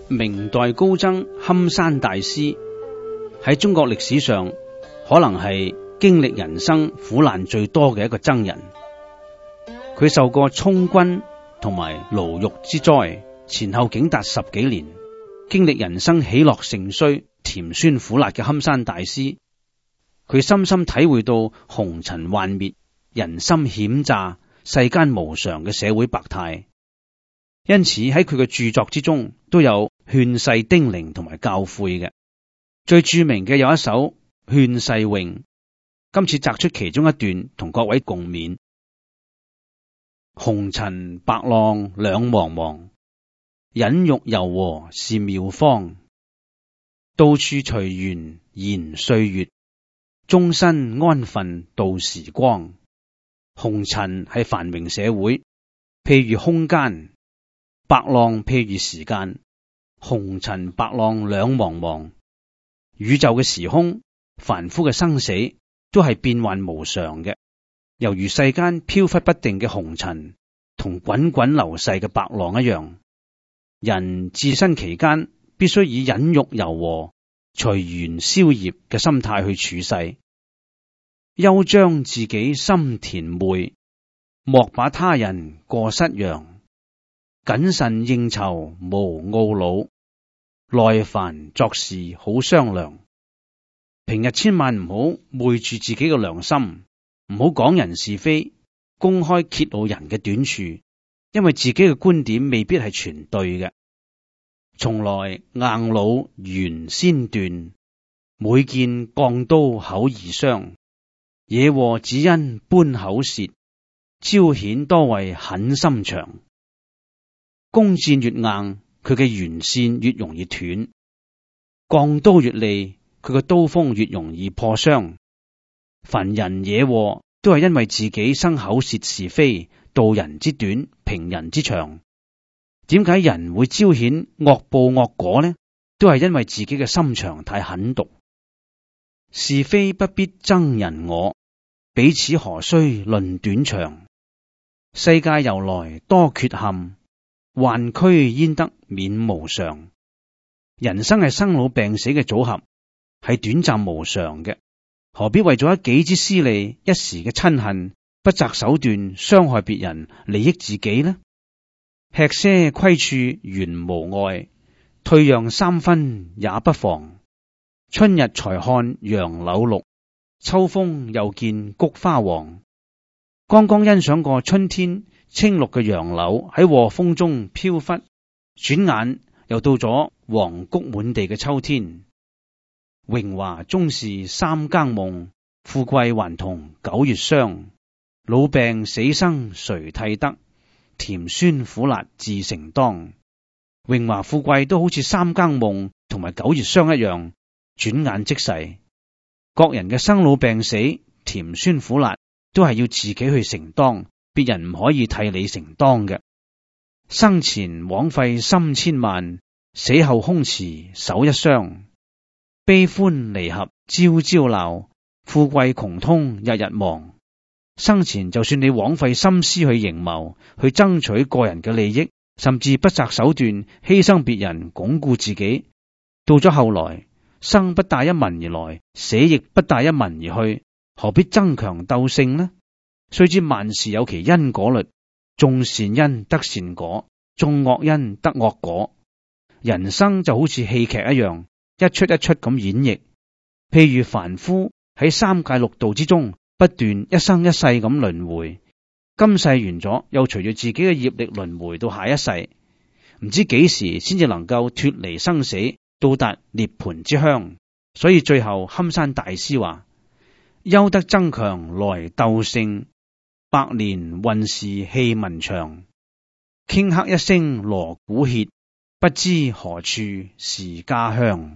明代高僧堪山大師喺中國歷史上可能係經歷人生苦難最多嘅一個僧人。佢受過充軍同埋牢獄之災，前後竟達10幾年，經歷人生喜樂盛衰、甜酸苦辣嘅堪山大師，佢深深體會到紅塵幻滅、人心險詐、世間無常嘅社會百態。因此喺佢嘅著作之中都有勸世叮嚀同埋教誨嘅。最著名嘅有一首勸世詠，今次摘出其中一段同各位共勉。紅塵白浪兩茫茫，忍辱柔和是妙方。到處隨緣延歲月，終身安分度時光。紅塵係繁榮社會，譬如空間；白浪譬如時間。紅塵白浪兩茫茫，宇宙嘅時空、凡夫嘅生死都係變幻無常嘅，猶如世間飄忽不定嘅紅塵同滾滾流逝嘅白浪一樣。人自身期間必須以忍辱柔和、隨緣消業嘅心態去處世，休將自己心甜昧，莫把他人過失揚。謹慎應酬無懊惱，耐煩作事好商量。平日千萬唔好昧住自己嘅良心，唔好講人是非，公開揭露人嘅短處，因為自己嘅觀點未必係全對嘅。從來硬弩原先斷，每見鋼刀口易傷。惹禍只因搬口舌，招顯多為狠心腸。弓箭越硬，佢嘅弦線越容易斷；鋼刀越利，佢嘅刀鋒越容易破傷。凡人惹禍，都係因為自己生口舌是非，道人之短，評人之長。點解人會招顯惡報惡果呢？都係因為自己嘅心腸太狠毒。是非不必爭人我，彼此何須論短長。世界由來多缺陷，患軀焉得免無常。人生係生老病死嘅組合，係短暫無常嘅，何必為咗一己之私利、一時嘅親恨，不擇手段傷害別人，利益自己呢？吃些虧處原無礙，退讓3分也不妨。春日才看楊柳綠，秋風又見菊花黃。剛剛欣賞過春天青綠嘅楊柳喺和風中飄忽，轉眼又到咗黃菊滿地嘅秋天。榮華終是3更夢，富貴還同9月霜。老病死生誰替得？甜酸苦辣自承當。榮華富貴都好似3更夢同埋9月霜一樣，轉眼即逝。各人嘅生老病死、甜酸苦辣都係要自己去承當，別人唔可以替你承當嘅。生前枉費心千萬，死後空持手一雙。悲歡離合朝朝鬧，富貴窮通日日忙。生前就算你枉費心思去營謀，去爭取個人嘅利益，甚至不擇手段犧牲別人鞏固自己，到咗後來，生不帶一文而來，死亦不帶一文而去，何必爭強鬥勝呢？須知萬事有其因果律，種善因得善果，種惡因得惡果。人生就好似戲劇一樣，一出一出咁演繹。譬如凡夫喺3界6道之中，不斷一生一世咁輪迴，今世完咗，又隨住自己嘅業力輪迴到下一世，唔知幾時先至能夠脫離生死，到達涅槃之鄉。所以最後堪山大師話：休得爭強來鬥勝，百年運事氣文長。頃刻一聲鑼鼓歇，不知何處是家鄉。